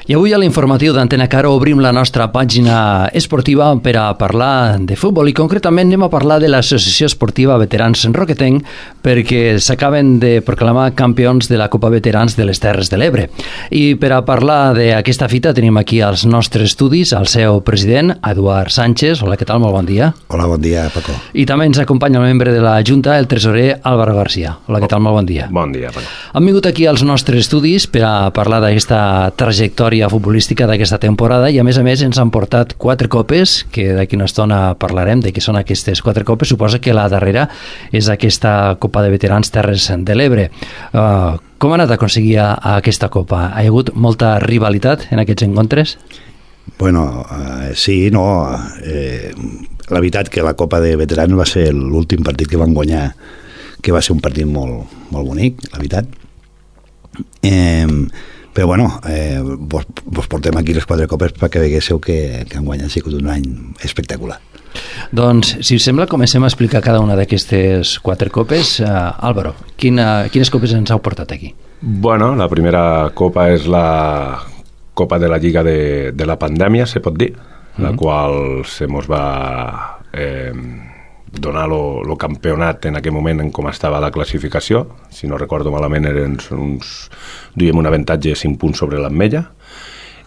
I avui a l'informatiu d'Antena Caro obrim la nostra pàgina esportiva per a parlar de futbol i concretament anem a parlar de l'Associació Esportiva Veterans Roquetenc perquè s'acaben de proclamar campions de la Copa Veterans de les Terres de l'Ebre. I per a parlar d'aquesta fita tenim aquí als nostres estudis el seu president, Eduard Sánchez. Hola, què tal? Molt bon dia. Hola, bon dia, Paco. I també ens acompanya el membre de la Junta, el tresorer Álvaro García. Hola, què tal? Molt bon dia. Bon dia, Paco. Han vingut aquí als nostres estudis per a parlar d'aquesta trajectòria futbolística d'aquesta temporada i a més ens han portat 4 copes que d'aquí una estona parlarem de què són aquestes 4 copes. Suposa que la darrera és aquesta Copa de Veterans Terres de l'Ebre. Com ha anat a aconseguir aquesta copa? Ha hi hagut molta rivalitat en aquests encontres? Bueno, sí, no. La veritat que la Copa de Veterans va ser l'últim partit que van guanyar, que va ser un partit molt bonic, la veritat. Però bueno, vos portem aquí les 4 copes perquè veguéssiu que enguany ha sigut un any espectacular. Doncs, si us sembla, comencem a explicar cada una d'aquestes 4 copes. Álvaro, quines copes ens heu portat aquí? Bueno, la primera copa és la Copa de la Lliga de la pandèmia, se pot dir, la qual se mos va donar el campionat en aquell moment en com estava la classificació. Si no recordo malament eren duíem un avantatge de 5 punts sobre l'Ametlla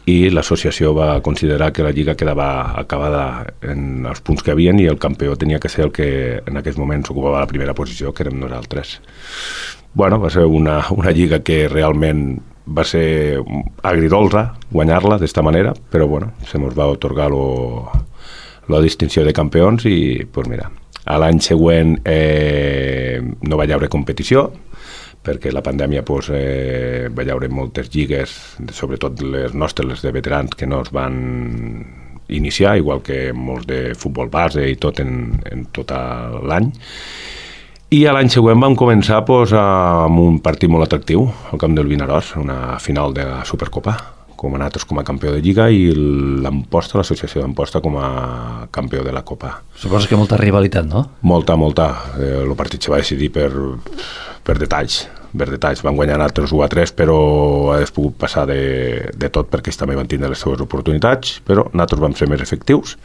i l'associació va considerar que la Lliga quedava acabada en els punts que havien i el campió tenia que ser el que en aquells moments ocupava la primera posició, que érem nosaltres. Bueno, va ser una Lliga que realment va ser agridolça guanyar-la d'esta manera, però bueno, se mos va atorgar la distinció de campions i pues mira, a l'any següent no va haver competició perquè la pandèmia va haver moltes lligues, sobretot les nostres, les de veterans, que no es van iniciar, igual que molts de futbol base i tot en tot l'any. I a l'any següent vam començar amb un partit molt atractiu al camp del Vinaròs, una final de la Supercopa, com a nosaltres com a campió de Lliga i l'Amposta, l'associació d'Amposta, com a campió de la Copa. Suposo que molta rivalitat, no? Molta. El partit se va decidir per detalls. Van guanyar nosaltres 1-3, però hagués pogut passar de tot perquè ells també van tindre les seves oportunitats, però nosaltres vam ser més efectius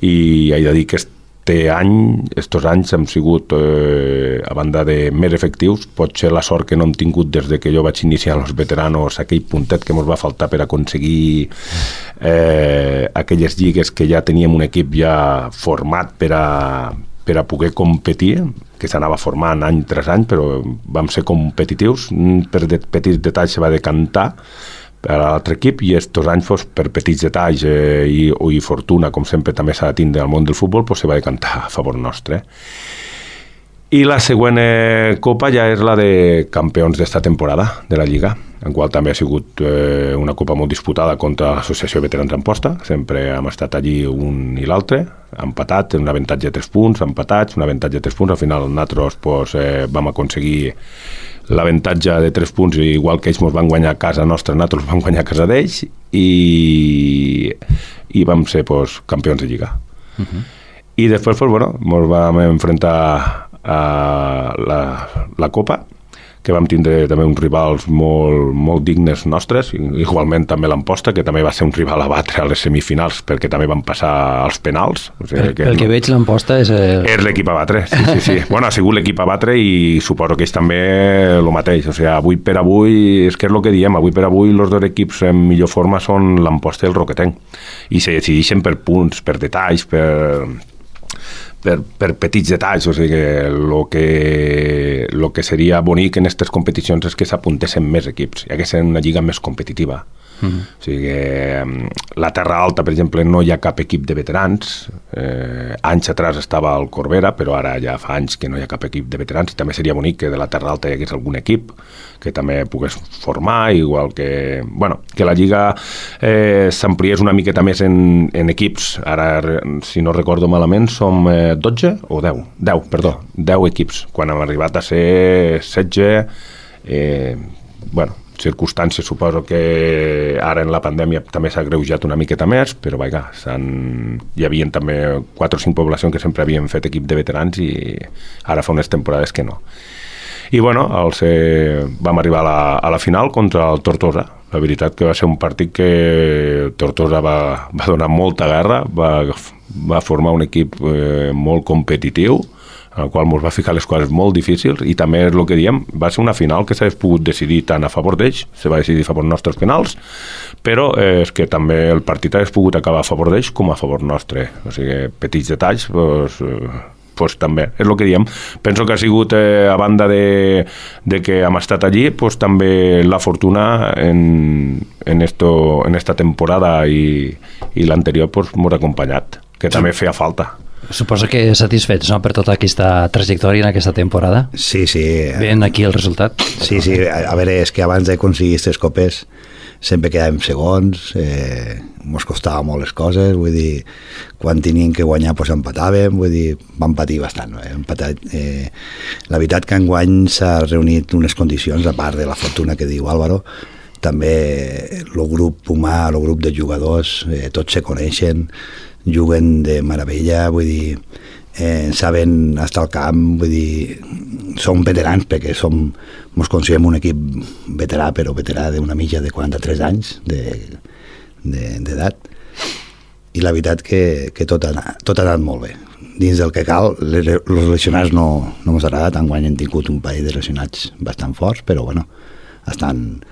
i he de dir que estos anys hem sigut, a banda de més efectius, pot ser la sort que no hem tingut des de que jo vaig iniciar els veteranos, aquell puntet que ens va faltar per aconseguir aquelles lligues que ja teníem un equip ja format per a poder competir, que s'anava formant any tras any, però vam ser competitius. Per petits detalls se va decantar per a l'altre equip i estos anys per petits detalls i fortuna, com sempre també s'ha de tindre al món del futbol, se va decantar a favor nostre. I la següent copa ja és la de campions d'esta temporada de la Lliga, en qual també ha sigut una copa molt disputada contra l'Associació Veterans Amposta. Sempre hem estat allí un i l'altre, empatats, un avantatge de 3 punts, empatats, un avantatge de 3 punts. Al final nosaltres vam aconseguir l'avantatge de 3 punts, igual que ells ens van guanyar a casa nostra, nosaltres vam guanyar a casa d'ells i vam ser campions de Lliga. I després ens vam enfrontar a la Copa, que vam tindre també uns rivals molt dignes nostres, igualment també l'Amposta, que també va ser un rival a batre a les semifinals, perquè també van passar als penals. O sigui, pel que veig, l'Amposta és l'equip a batre, sí. Bueno, ha sigut l'equip a batre i suposo que és també el mateix. O sigui, avui per avui, és que és el que diem, avui per avui els dos equips en millor forma són l'Amposta i el Roquetenc. I se decideixen per punts, per detalls, per petits detalls. O sigui que el que seria bonic en aquestes competicions és que s'apuntessin més equips, ja que és una lliga més competitiva. O sigui que la Terra Alta, per exemple, no hi ha cap equip de veterans. Anys atrás estava el Corbera, però ara ja fa anys que no hi ha cap equip de veterans i també seria bonic que de la Terra Alta hi hagués algun equip que també pogués formar, igual que que la Lliga s'ampliés una miqueta més en equips. Ara, si no recordo malament, som 12 o 10? 10 equips, quan hem arribat a ser 16. Circumstàncies, suposo que ara en la pandèmia també s'ha greujat una miqueta més, però vaja, hi havia també 4 o 5 poblacions que sempre havien fet equip de veterans i ara fa unes temporades que no. I bueno, vam arribar a la final contra el Tortosa, La veritat que va ser un partit que Tortosa va donar molta guerra, va formar un equip molt competitiu, en el qual ens va ficar les coses molt difícils, i també és el que diem, va ser una final que s'hagués pogut decidir tant a favor d'ells, se va decidir a favor nostres penals, però és que també el partit hagués pogut acabar a favor d'ells com a favor nostre. O sigui, petits detalls, pues també, és el que diem. Penso que ha sigut, a banda de que hem estat allí, pues també la fortuna en esta temporada i l'anterior pues m'ho ha acompanyat, que també feia falta. Suposo que satisfets, no?, per tota aquesta trajectòria en aquesta temporada. Sí. Ben aquí el resultat. Sí, a veure, és que abans d'aconseguir aquestes copes sempre quedàvem segons, ens costava molt les coses, vull dir, quan teníem que guanyar doncs empatàvem, vull dir, vam patir bastant, no? La veritat que enguany s'ha reunit unes condicions, a part de la fortuna que diu Álvaro, també el grup humà, el grup de jugadors, tots se coneixen, juguen de meravella, vull dir, saben estar al camp, vull dir, som veterans perquè ens considerem un equip veterà, però veterà d'una mitja de 43 anys d'edat, i la veritat que tot ha anat molt bé. Dins del que cal, els lesionats no ens ha agradat, enguany hem tingut un parell de lesionats bastant forts, però bueno, estan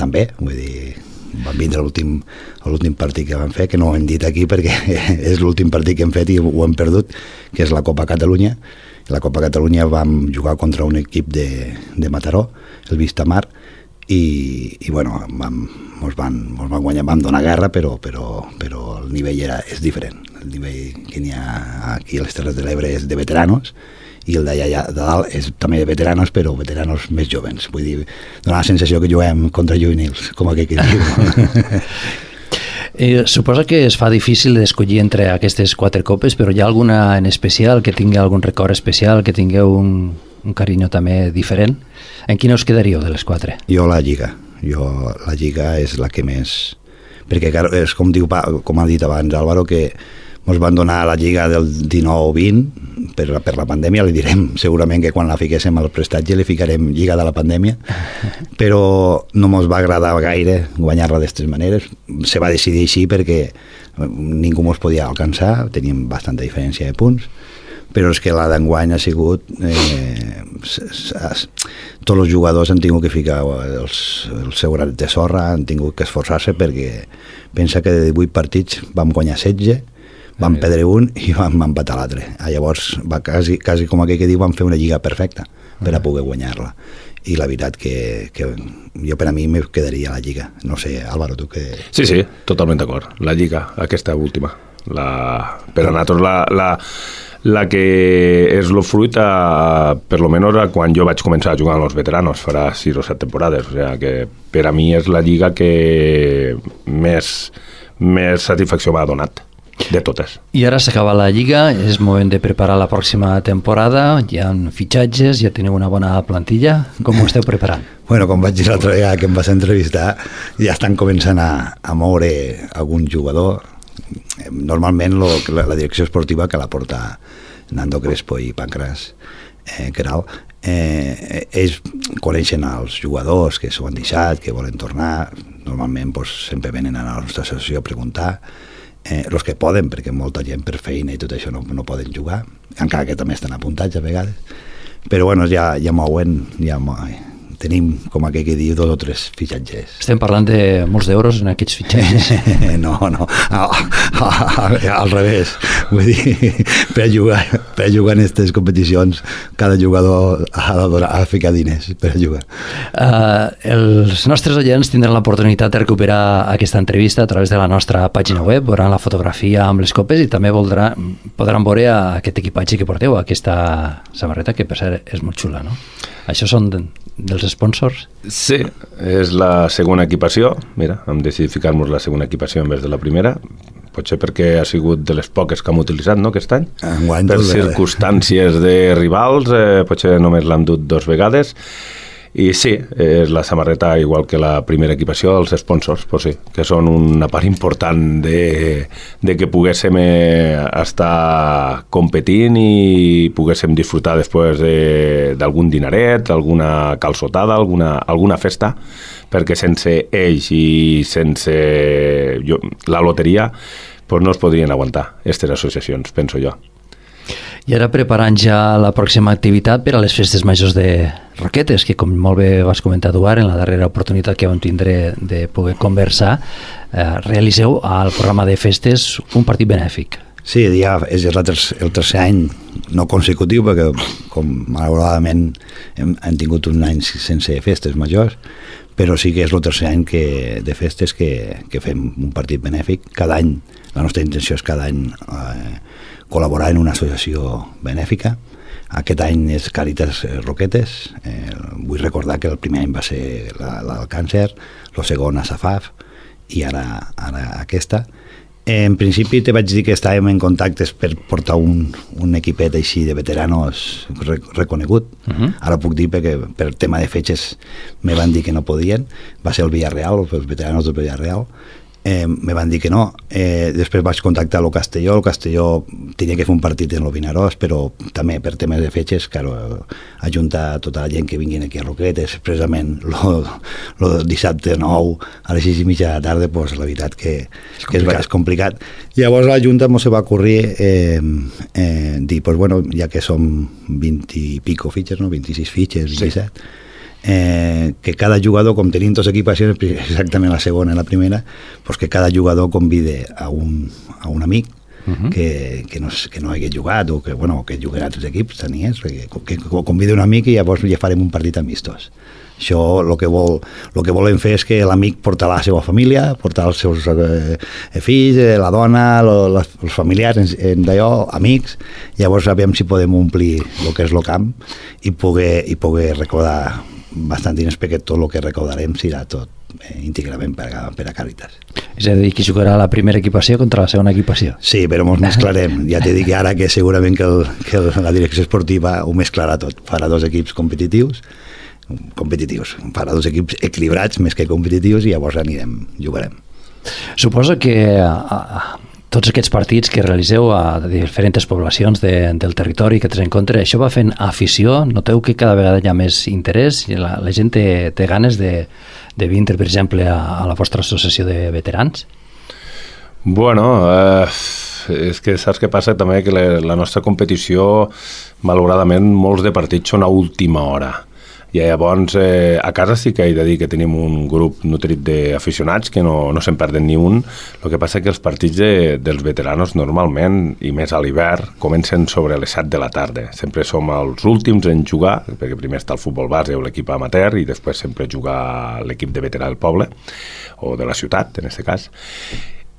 bé, vull dir, van vindre l'últim partit que vam fer, que no ho hem dit aquí perquè és l'últim partit que hem fet i ho hem perdut, que és la Copa Catalunya. La Copa Catalunya vam jugar contra un equip de Mataró, el Vistamar, i bueno, ens van guanyar, vam donar guerra, però el nivell és diferent. El nivell que n'hi ha aquí a les Terres de l'Ebre és de veteranos, i el d'allà de dalt és també de veteranos, però veteranos més jovens. Vull dir, dona la sensació que juguem contra juvenils, com aquell que diu. Suposa que es fa difícil d'escollir entre aquestes 4 copes, però hi ha alguna en especial que tingui algun record especial, que tingueu un carinyo també diferent? En quina us quedaríeu de les 4? Jo la Lliga és la que més... Perquè és com ha dit abans Álvaro, que ens van donar la Lliga del 19-20 per la pandèmia, li direm segurament que quan la fiquéssim al prestatge li ficarem Lliga de la pandèmia, però no ens va agradar gaire guanyar-la d'aquestes maneres. Se va decidir així perquè ningú ens podia alcançar, teníem bastanta diferència de punts, però és que la d'enguany ha sigut tots els jugadors han tingut que ficar el seu granet de sorra, han tingut que esforçar-se, perquè pensa que de 18 partits vam guanyar 16, vam perdre un i vam empatar l'altre. Llavors, quasi com aquell que diu, vam fer una lliga perfecta per a poder guanyar-la. I la veritat que jo per a mi me quedaria la lliga. No sé, Álvaro, tu què... Sí, totalment d'acord. La lliga, aquesta última. Per a nosaltres la que és el fruit per lo menos quan jo vaig començar a jugar amb els veteranos farà 6 o 7 temporades, o sigui que per a mi és la lliga que més satisfacció m'ha donat de totes. I ara s'acaba la Lliga, és moment de preparar la pròxima temporada, hi ha fitxatges, ja teniu una bona plantilla, com ho esteu preparant? Bueno, com vaig dir l'altre dia que em vas entrevistar, ja estan començant a moure algun jugador. Normalment la direcció esportiva, que la porta Nando Crespo i Pancras Queralt, ells coneixen els jugadors que s'ho han deixat, que volen tornar, normalment sempre venen a la nostra associació a preguntar, els que poden, perquè molta gent per feina i tot això no poden jugar, encara que també estan apuntats a vegades, però bueno, ja mouen, tenim, com aquell que diu, 2 o 3 fitxatges. Estem parlant de molts d'euros en aquests fitxatges? No, al revés. Vull dir, per jugar en aquestes competicions, cada jugador ha de ficar diners per jugar. Els nostres oients tindran l'oportunitat de recuperar aquesta entrevista a través de la nostra pàgina web, veuran la fotografia amb les copes i també podran veure aquest equipatge que porteu, aquesta samarreta, que per cert és molt xula, no? Això són dels sponsors? Sí, és la segona equipació. Mira, hem decidit ficar-nos la segona equipació en vez de la primera. Potser perquè ha sigut de les poques que hem utilitzat, no, aquest any? Per circumstàncies de rivals, potser només l'hem dut 2 vegades. I sí, és la samarreta, igual que la primera equipació, dels sponsors, pues sí, que són una part important de que poguéssim estar competint i poguéssim disfrutar després d'algun dineret, alguna calçotada, alguna festa, perquè sense ells i sense la loteria pues no es podrien aguantar aquestes associacions, penso jo. I ara preparant ja la pròxima activitat per a les festes majors de Roquetes, que com molt bé vas comentar, Eduard, en la darrera oportunitat que vam tindre de poder conversar, realiseu al programa de festes un partit benèfic. Sí, ja és el tercer any no consecutiu, perquè com malauradament hem tingut un any sense festes majors, però sí que és el tercer any de festes que fem un partit benèfic. Cada any, la nostra intenció és cada any col·laborar en una associació benèfica. Aquest any és Càritas Roquetes. Vull recordar que el primer any va ser la del càncer, el segon a Safaf i ara aquesta. En principi te vaig dir que estàvem en contactes per portar un equipet així de veteranos reconegut. Ara puc dir perquè per tema de fetges me van dir que no podien. Va ser el Villarreal, els veteranos del Villarreal. Me van dir que no. Després vaig contactar el Castelló tenia que fer un partit en el Vinaròs, però també per temes de fetges, claro, ajuntar tota la gent que vinguin aquí a Roquetes, expressament el dissabte 9 a les 6:30 de la tarda, pues, la veritat que és complicat. Llavors la Junta se va ocorrir dir, pues bueno, ja que som 20 i pico fitxes, no? 26 fitxes, 27, que cada jugador, com tenim dos equipacions, exactament la segona i la primera, pues que cada jugador convide a un amic que no hagués jugat o que juguen a altres equips, que convide un amic i llavors ja farem un partit amistós. Això el que volem fer és que l'amic portarà la seva família, portarà els seus fills, la dona, els familiars, d'allò, amics, llavors sabem si podem omplir el que és el camp i poder recordar bastant diners, perquè tot el que recaudarem serà tot íntegrament per a Càritas. És a dir, que jugarà la primera equipació contra la segona equipació. Sí, però ens mesclarem. Ja t'he dit que ara que segurament que la direcció esportiva ho mesclarà tot. Farà dos equips competitius, farà dos equips equilibrats més que competitius i llavors jugarem. Suposo que tots aquests partits que realiseu a diferents poblacions del territori que tens en compte, això va fent afició? Noteu que cada vegada hi ha més interès i la gent té ganes de vindre, per exemple, a la vostra associació de veterans? Bueno, és que saps què passa també? Que la nostra competició, malauradament, molts de partits són a última hora. I llavors a casa sí que he de dir que tenim un grup nutrit d'aficionats que no se'n perden ni un. El que passa que els partits dels veteranos normalment, i més a l'hivern, comencen sobre les 7 de la tarda. Sempre som els últims en jugar, perquè primer està el futbol base o l'equip amateur i després sempre juga l'equip de veterà del poble o de la ciutat, en aquest cas.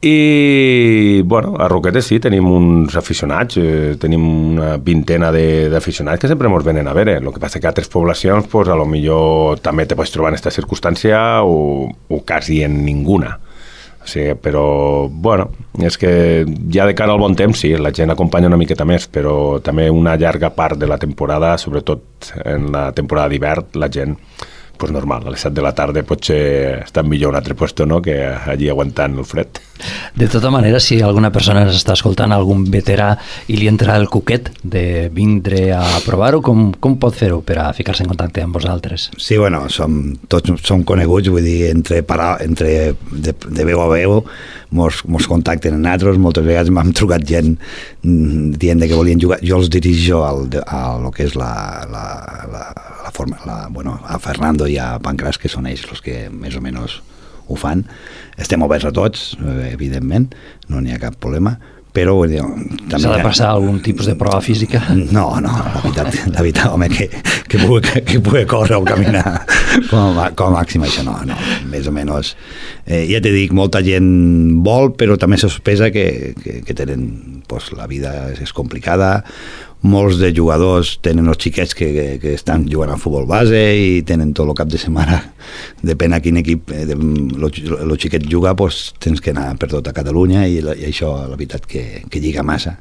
I, bueno, a Roquetes sí, tenim uns aficionats, tenim una vintena d'aficionats que sempre ens venen a veure. El que passa que a altres poblacions, pues, a lo millor també te pots trobar en aquesta circumstància o quasi en ninguna. O sigui, però, bueno, és que ja de cara al bon temps, sí, la gent acompanya una miqueta més, però també una llarga part de la temporada, sobretot en la temporada d'hivern, la gent, pues normal, a les 7 de la tarda potser està millor un altre puesto, no?, que allí aguantant el fred. De tota manera, si alguna persona està escoltant algun veterà i li entra el cuquet de vindre a provar-ho, com pot fer-ho per a ficar-se en contacte amb vosaltres? Sí, bueno, tots som coneguts, vull dir, de veu a veu, mos contacten en nosaltres, moltes vegades m'han trucat gent dient que volien jugar, jo els dirijo a lo que és a Fernando i a Pancràs, que són ells els que més o menys ho fan. Estem oberts a tots, evidentment, no n'hi ha cap problema, però també... S'ha de passar algun tipus de prova física? No, la veritat, home, que pugui córrer o caminar com a màxim, això no, més o menys. Ja t'he dit, molta gent vol, però també se sospesa que tenen, la vida és complicada. Molts de jugadors tenen els xiquets que estan jugant al futbol base i tenen tot el cap de setmana, depèn a quin equip el xiquet juga, tens que anar per tota Catalunya i això la veritat que lliga massa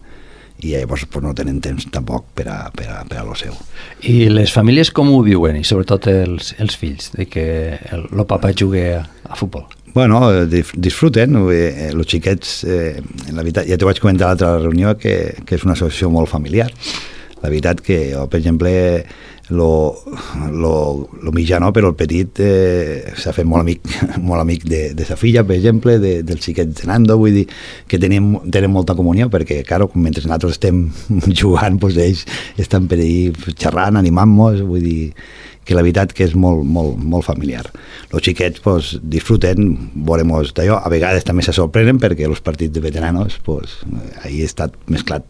i llavors no tenen temps tampoc per a lo seu. I les famílies com ho viuen, i sobretot els fills, de que el papa jugui a futbol? Bueno, disfruten, els xiquets, la veritat, ja t'ho vaig comentar a l'altra reunió, que és una associació molt familiar. La veritat que jo, per exemple, lo mitjà no, però el petit s'ha fet molt amic de sa filla, per exemple, del xiquet de Nando, vull dir que tenen molta comunió, perquè, claro, mentre nosaltres estem jugant, pues, ells estan per ahí xerrant, animant-nos, vull dir que la veritat que és molt familiar. Els xiquets pues, disfruten, veuremos d'allò, a vegades també se sorprenen perquè els partits de veteranos, pues, ahí ha estat mesclat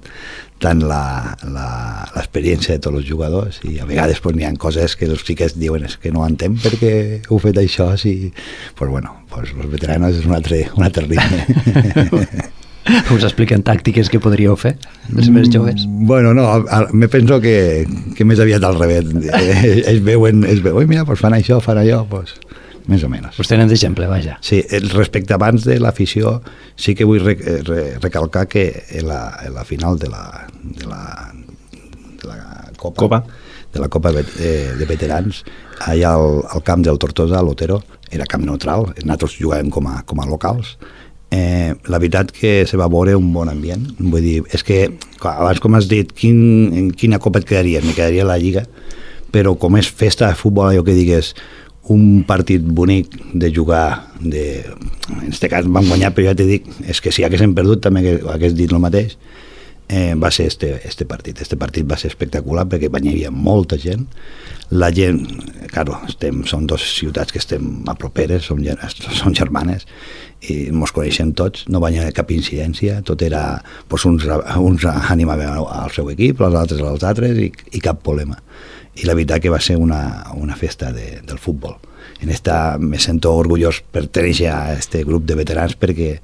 tant l'experiència de tots els jugadors i a vegades pues, n'hi ha coses que els xiquets diuen és que no entenc perquè heu fet això, sí. Pues, bueno, pues, els veteranos és un altre ritme. Us expliquen tàctiques que podríeu fer, els més joves? Bueno, no, me penso que més aviat al revés. Ells veuen, mira, pues fan això, fan allò, pues, més o menys. Us tenen d'exemple, vaja. Sí, respecte abans de l'afició, sí que vull recalcar que en la final de la Copa de veterans, allà al camp del Tortosa, a l'Otero, era camp neutral, nosaltres jugàvem com a locals. La veritat que se va veure un bon ambient, vull dir, és que abans com has dit, en quina copa et quedaria? Me quedaria la Lliga, però com és festa de futbol, allò que digues un partit bonic de jugar en aquest cas vam guanyar, però ja t'he dit, és que si haguéssim perdut també hagués dit el mateix. Va ser este partit va ser espectacular perquè hi havia molta gent, la gent, claro, són dues ciutats que estem a properes, són germanes i ens coneixem tots, no va haver cap incidència, tot era pues, uns animaven al seu equip, els altres als altres i cap problema, i la veritat que va ser una festa del futbol. En esta me sento orgullós pertenèixer a aquest grup de veterans perquè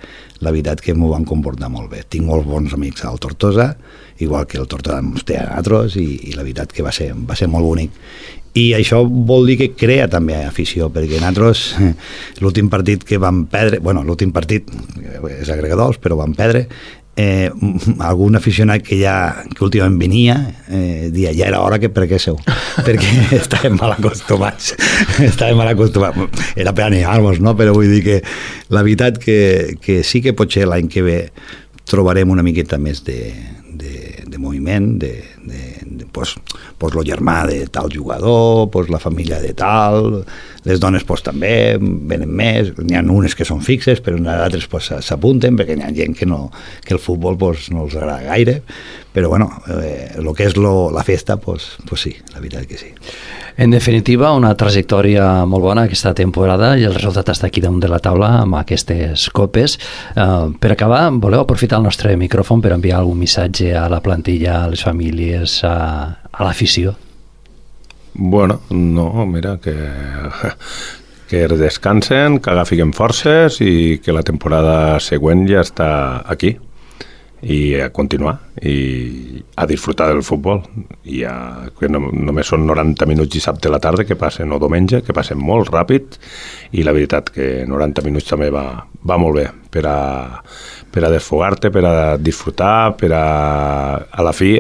la veritat que m'ho van comportar molt bé. Tinc molts bons amics al Tortosa, igual que el Tortosa ens té a nosaltres, i la veritat que va ser molt bonic. I això vol dir que crea també afició, perquè nosaltres l'últim partit que vam perdre, bueno, l'últim partit és agregadors, però vam perdre, algun aficionat que últimament venia dia, ja era hora que prenguéssiu perquè estàvem mal acostumats era per animar-nos, no? Però vull dir que la veritat que sí que potser l'any que ve trobarem una miqueta més de moviment, pues lo germà de tal jugador, pues la família de tal, les dones pues també venen més, n'hi ha unes que són fixes però d'altres pues s'apunten perquè n'hi ha gent que el futbol pues no els agrada gaire, però bueno, el que és la festa pues sí, la veritat que sí. En definitiva, una trajectòria molt bona aquesta temporada i el resultat està aquí damunt de la taula amb aquestes copes. Per acabar, voleu aprofitar el nostre micròfon per enviar algun missatge a la plantilla, a les famílies, a l'afició? Bueno, no, mira, que descansen, que agafin forces i que la temporada següent ja està aquí i a continuar i a disfrutar del futbol i que només són 90 minuts dissabte a la tarda que passen, o diumenge, que passen molt ràpid, i la veritat que 90 minuts també va molt bé per a desfogar-te, per a disfrutar, per a la fi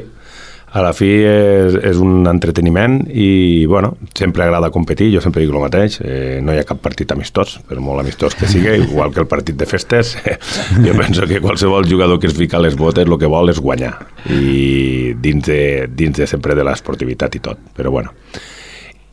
és un entreteniment i bueno, sempre agrada competir, jo sempre dic el mateix, no hi ha cap partit amistós, per molt amistós que sigui, igual que el partit de festes, jo penso que qualsevol jugador que es fica a les botes el que vol és guanyar, i dins de sempre de l'esportivitat i tot, però bueno.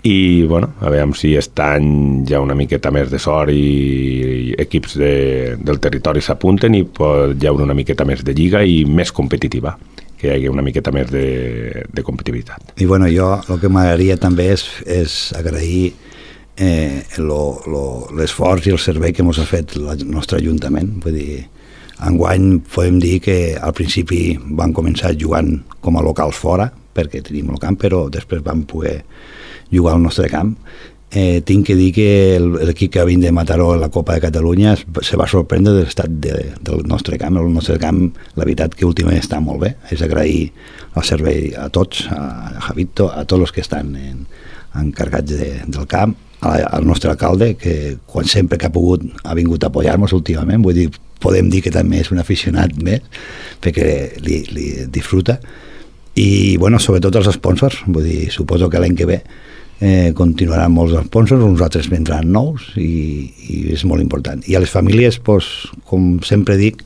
I bueno, a veure si aquest any hi ha una miqueta més de sort i equips del territori s'apunten i hi haurà una miqueta més de lliga i més competitiva, que hi hagi una miqueta més de competitivitat. I bueno, jo el que m'agradaria també és agrair l'esforç i el servei que ens ha fet el nostre Ajuntament. Vull dir, enguany podem dir que al principi vam començar jugant com a locals fora, perquè tenim el camp, però després vam poder jugar al nostre camp. Tinc que dir que l'equip que va vindre de Mataró a la Copa de Catalunya se va sorprendre de l'estat del nostre camp. El nostre camp, la veritat que últimament està molt bé. És agrair el servei a tots, a Javito, a tots els que estan encarregats del camp, al nostre alcalde, que quan sempre que ha pogut ha vingut a apoyar-nos últimament. Vull dir, podem dir que també és un aficionat més, perquè li disfruta. I, bueno, sobretot els sponsors. Vull dir, suposo que l'any que ve continuaran molts sponsors, uns altres vendran nous i és molt important. I a les famílies, pues, com sempre dic,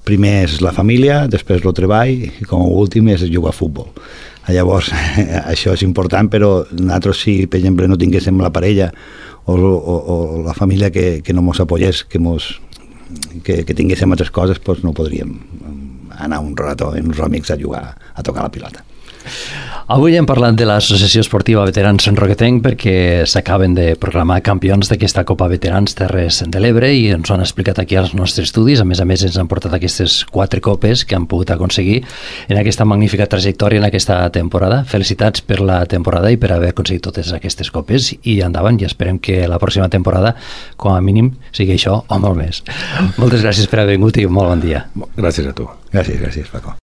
primer és la família, després el treball i com a últim és jugar a futbol. Llavors, això és important, però nosaltres si, per exemple, no tinguéssim la parella o la família que no mos apoyés, que tinguéssim altres coses, doncs no podríem anar un rato amb uns amics a jugar, a tocar la pilota. Avui hem parlat de l'Associació Esportiva Veterans Sant Roquetenc perquè s'acaben de proclamar campions d'aquesta Copa Veterans Terres de l'Ebre i ens ho han explicat aquí als nostres estudis. A més ens han portat aquestes 4 copes que han pogut aconseguir en aquesta magnífica trajectòria en aquesta temporada. Felicitats per la temporada i per haver aconseguit totes aquestes copes i endavant, i esperem que la pròxima temporada com a mínim sigui això o molt més. Moltes gràcies per haver vingut i molt bon dia. Gràcies a tu. Gràcies, Paco.